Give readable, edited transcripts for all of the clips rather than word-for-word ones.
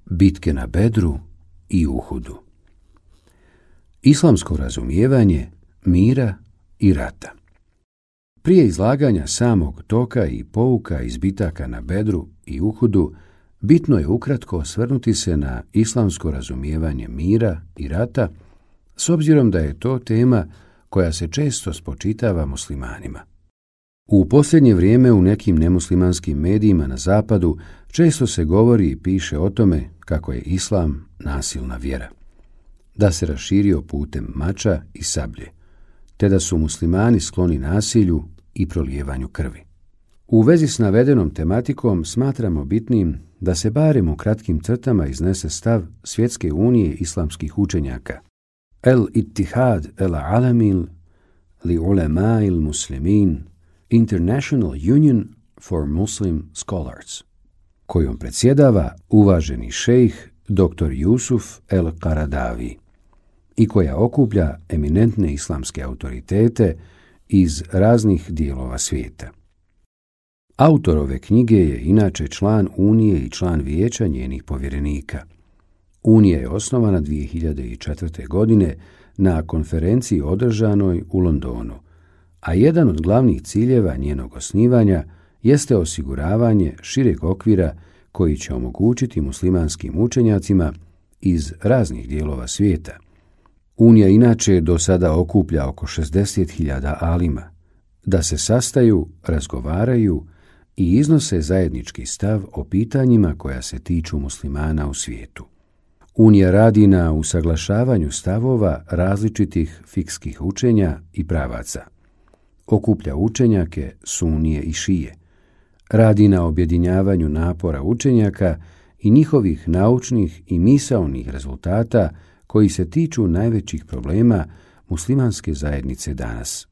Bitke na Bedru i Uhudu. Islamsko razumijevanje mira i rata. Prije izlaganja samog toka i pouka iz bitaka na Bedru i Uhudu, bitno je ukratko osvrnuti se na islamsko razumijevanje mira i rata, s obzirom da je to tema koja se često spočitava muslimanima. U posljednje vrijeme u nekim nemuslimanskim medijima na zapadu često se govori i piše o tome kako je islam nasilna vjera, da se raširio putem mača i sablje, te da su muslimani skloni nasilju i prolijevanju krvi. U vezi s navedenom tematikom smatramo bitnim da se barem u kratkim crtama iznese stav Svjetske unije islamskih učenjaka, El-Ittihad el-Alamil li Ulema'il Muslimin, International Union for Muslim Scholars, kojom predsjedava uvaženi šejh dr. Jusuf el-Qaradawi i koja okuplja eminentne islamske autoritete iz raznih dijelova svijeta. Autor ove knjige je inače član Unije i član vijeća njenih povjerenika. Unija je osnovana 2004. godine na konferenciji održanoj u Londonu, a jedan od glavnih ciljeva njenog osnivanja jeste osiguravanje šireg okvira koji će omogućiti muslimanskim učenjacima iz raznih dijelova svijeta. Unija inače do sada okuplja oko 60.000 alima, da se sastaju, razgovaraju i iznose zajednički stav o pitanjima koja se tiču muslimana u svijetu. Unija radi na usaglašavanju stavova različitih fikskih učenja i pravaca. Okuplja učenjake sunije i šije. Radi na objedinjavanju napora učenjaka i njihovih naučnih i misaonih rezultata koji se tiču najvećih problema muslimanske zajednice danas.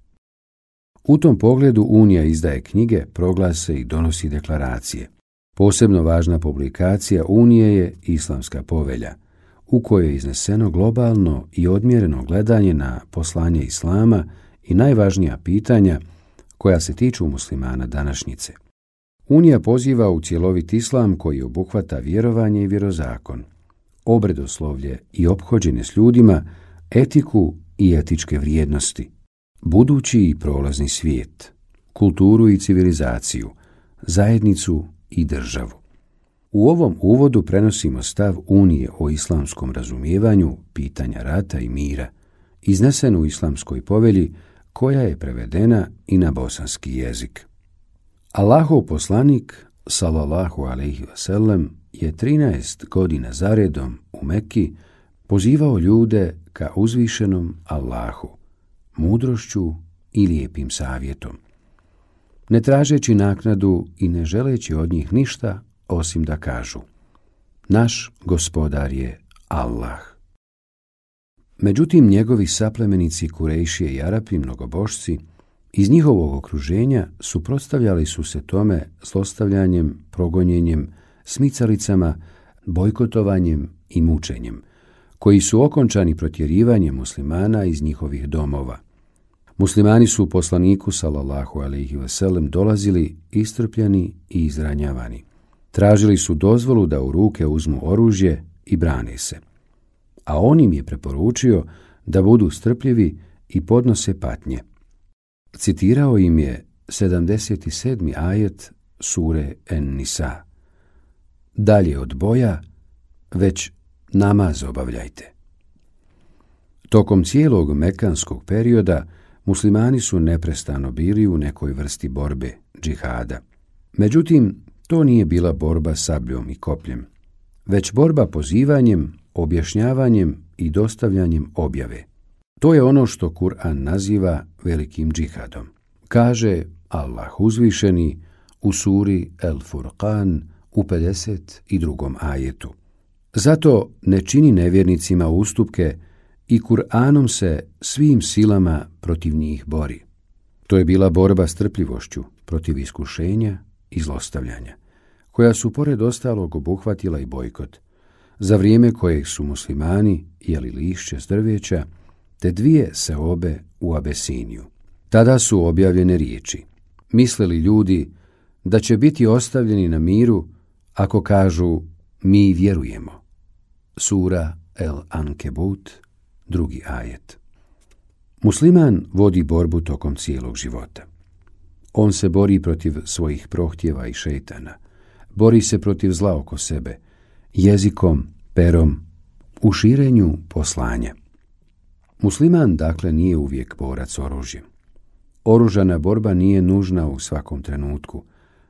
U tom pogledu Unija izdaje knjige, proglase i donosi deklaracije. Posebno važna publikacija Unije je Islamska povelja, u kojoj je izneseno globalno i odmjereno gledanje na poslanje Islama i najvažnija pitanja koja se tiču muslimana današnjice. Unija poziva u cjelovit islam koji obuhvata vjerovanje i vjerozakon, obredoslovlje i ophođenje s ljudima, etiku i etičke vrijednosti, budući i prolazni svijet, kulturu i civilizaciju, zajednicu i državu. U ovom uvodu prenosimo stav Unije o islamskom razumijevanju pitanja rata i mira, iznesen u Islamskoj povelji koja je prevedena i na bosanski jezik. Allahov poslanik, sallallahu alejhi ve sellem, je 13 godina zaredom u Mekki pozivao ljude ka uzvišenom Allahu, mudrošću i lijepim savjetom, ne tražeći naknadu i ne želeći od njih ništa osim da kažu: naš gospodar je Allah. Međutim, njegovi saplemenici Kurejšije i Arapi, mnogobošci, iz njihovog okruženja suprotstavljali su se tome zlostavljanjem, progonjenjem, smicalicama, bojkotovanjem i mučenjem, koji su okončani protjerivanjem muslimana iz njihovih domova. Muslimani su poslaniku sallallahu alejhi ve sellem dolazili istrpljeni i izranjavani. Tražili su dozvolu da u ruke uzmu oružje i brane se, a on im je preporučio da budu strpljivi i podnose patnje. Citirao im je 77. ajet sure En-Nisa: dalje od boja, već namaz obavljajte. Tokom cijelog mekanskog perioda muslimani su neprestano bili u nekoj vrsti borbe, džihada. Međutim, to nije bila borba sabljom i kopljem, već borba pozivanjem, objašnjavanjem i dostavljanjem objave. To je ono što Kur'an naziva velikim džihadom. Kaže Allah uzvišeni u suri El Furqan u 52. ajetu: zato ne čini nevjernicima ustupke i Kur'anom se svim silama protiv njih bori. To je bila borba strpljivošću protiv iskušenja i zlostavljanja, koja su pored ostalog obuhvatila i bojkot, za vrijeme kojeg su muslimani jeli lišće s drveća, te 2 seobe u Abesiniju. Tada su objavljene riječi: mislili ljudi da će biti ostavljeni na miru ako kažu mi vjerujemo, Sura El Ankebut, 2. ajet. Musliman vodi borbu tokom cijelog života. On se bori protiv svojih prohtjeva i šejtana, bori se protiv zla oko sebe, jezikom, perom, u širenju poslanja. Musliman, dakle, nije uvijek borac oružjem. Oružana borba nije nužna u svakom trenutku,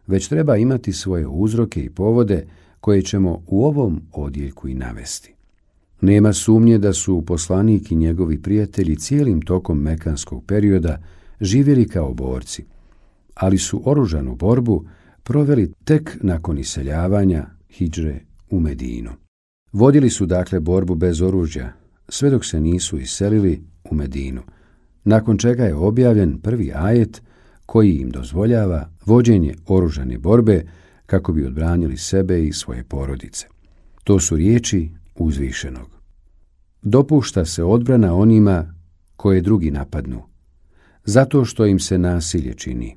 već treba imati svoje uzroke i povode koje ćemo u ovom odjeljku i navesti. Nema sumnje da su poslanik i njegovi prijatelji cijelim tokom mekanskog perioda živjeli kao borci, ali su oružanu borbu proveli tek nakon iseljavanja hidžre u Medinu. Vodili su dakle borbu bez oružja, sve dok se nisu iselili u Medinu, nakon čega je objavljen prvi ajet koji im dozvoljava vođenje oružane borbe kako bi odbranili sebe i svoje porodice. To su riječi uzvišenog. Dopušta se odbrana onima koje drugi napadnu, zato što im se nasilje čini,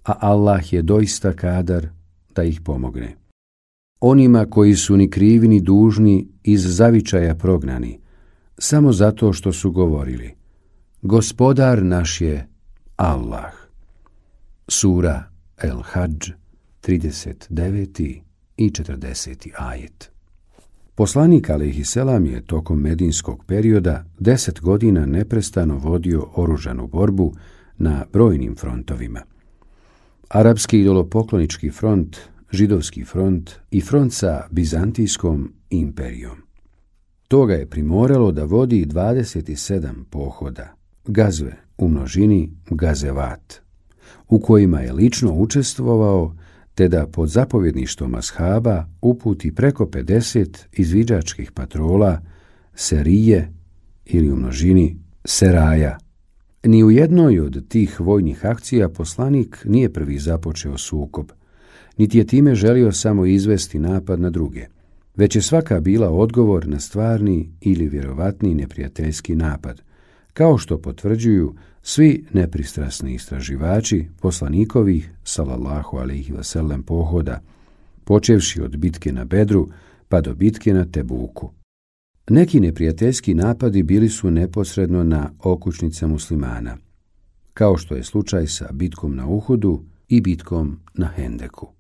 a Allah je doista kadar da ih pomogne. Onima koji su ni krivi ni dužni iz zavičaja prognani, samo zato što su govorili: Gospodar naš je Allah. Sura El Hadž, 39. i 40. ajet. Poslanik alejhiselam je tokom medinskog perioda 10 godina neprestano vodio oružanu borbu na brojnim frontovima. Arapski idolopoklonički front, židovski front i front sa Bizantijskom imperijom. To ga je primoralo da vodi 27 pohoda, gazve u množini gazevat, u kojima je lično učestvovao, te da pod zapovjedništvom ashaba uputi preko 50 izviđačkih patrola, serije ili u množini seraja. Ni u jednoj od tih vojnih akcija poslanik nije prvi započeo sukob, niti je time želio samo izvesti napad na druge, već je svaka bila odgovor na stvarni ili vjerovatni neprijateljski napad, kao što potvrđuju svi nepristrasni istraživači poslanikovih sallallahu alejhi ve sellem pohoda, počevši od bitke na Bedru pa do bitke na Tebuku. Neki neprijateljski napadi bili su neposredno na okućnice muslimana, kao što je slučaj sa bitkom na Uhudu i bitkom na Hendeku.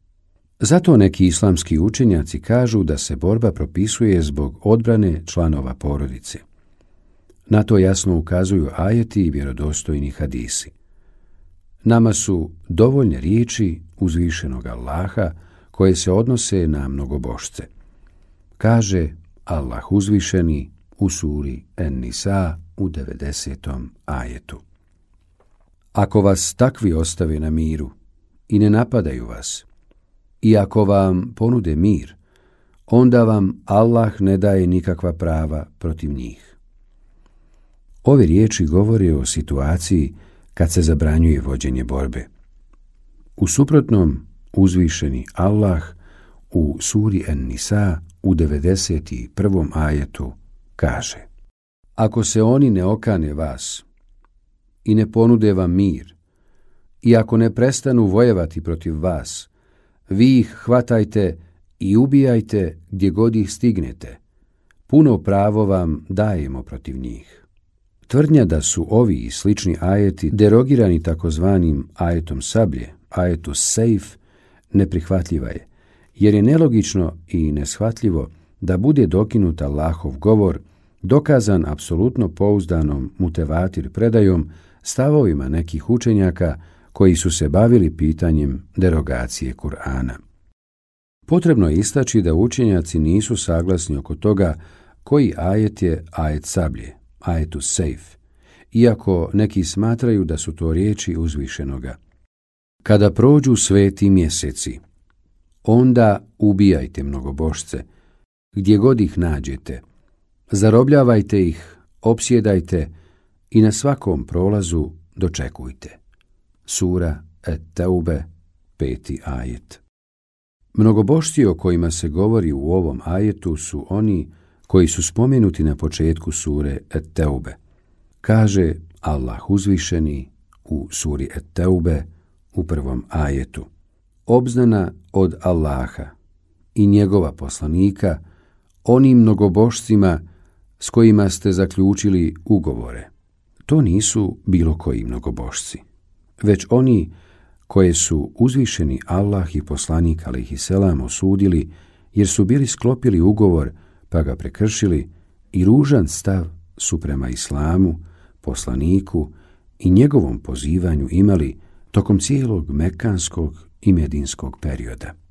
Zato neki islamski učenjaci kažu da se borba propisuje zbog odbrane članova porodice. Na to jasno ukazuju ajeti i vjerodostojni hadisi. Nama su dovoljne riječi uzvišenog Allaha koje se odnose na mnogobošce. Kaže Allah uzvišeni u suri En-Nisa u 90. ajetu. Ako vas takvi ostave na miru i ne napadaju vas, i ako vam ponude mir, onda vam Allah ne daje nikakva prava protiv njih. Ove riječi govore o situaciji kad se zabranjuje vođenje borbe. U suprotnom, uzvišeni Allah u suri En-Nisa u 91. ajetu kaže: Ako se oni ne okane vas i ne ponude vam mir, i ako ne prestanu vojevati protiv vas, vi ih hvatajte i ubijajte gdje god ih stignete. Puno pravo vam dajemo protiv njih. Tvrdnja da su ovi i slični ajeti derogirani takozvanim ajetom sablje, ajetu sejf, neprihvatljiva je, jer je nelogično i neshvatljivo da bude dokinut Allahov govor, dokazan apsolutno pouzdanom mutevatir predajom, stavovima nekih učenjaka koji su se bavili pitanjem derogacije Kur'ana. Potrebno je istaći da učenjaci nisu saglasni oko toga koji ajet je ajet sablje, ajetu sejf, iako neki smatraju da su to riječi uzvišenoga. Kada prođu sveti mjeseci, onda ubijajte mnogobošce, gdje god ih nađete, zarobljavajte ih, opsjedajte i na svakom prolazu dočekujte. Sura Et-Teube, 5. ajet. Mnogobošci o kojima se govori u ovom ajetu su oni koji su spomenuti na početku sure Et-Teube. Kaže Allah uzvišeni u suri Et-Teube u 1. ajetu: Obznana od Allaha i njegova poslanika onim mnogobožcima s kojima ste zaključili ugovore. To nisu bilo koji mnogobožci, već oni koje su uzvišeni Allah i poslanik alejhiselam osudili, jer su bili sklopili ugovor pa ga prekršili i ružan stav su prema islamu, poslaniku i njegovom pozivanju imali tokom cijelog mekanskog i medinskog perioda.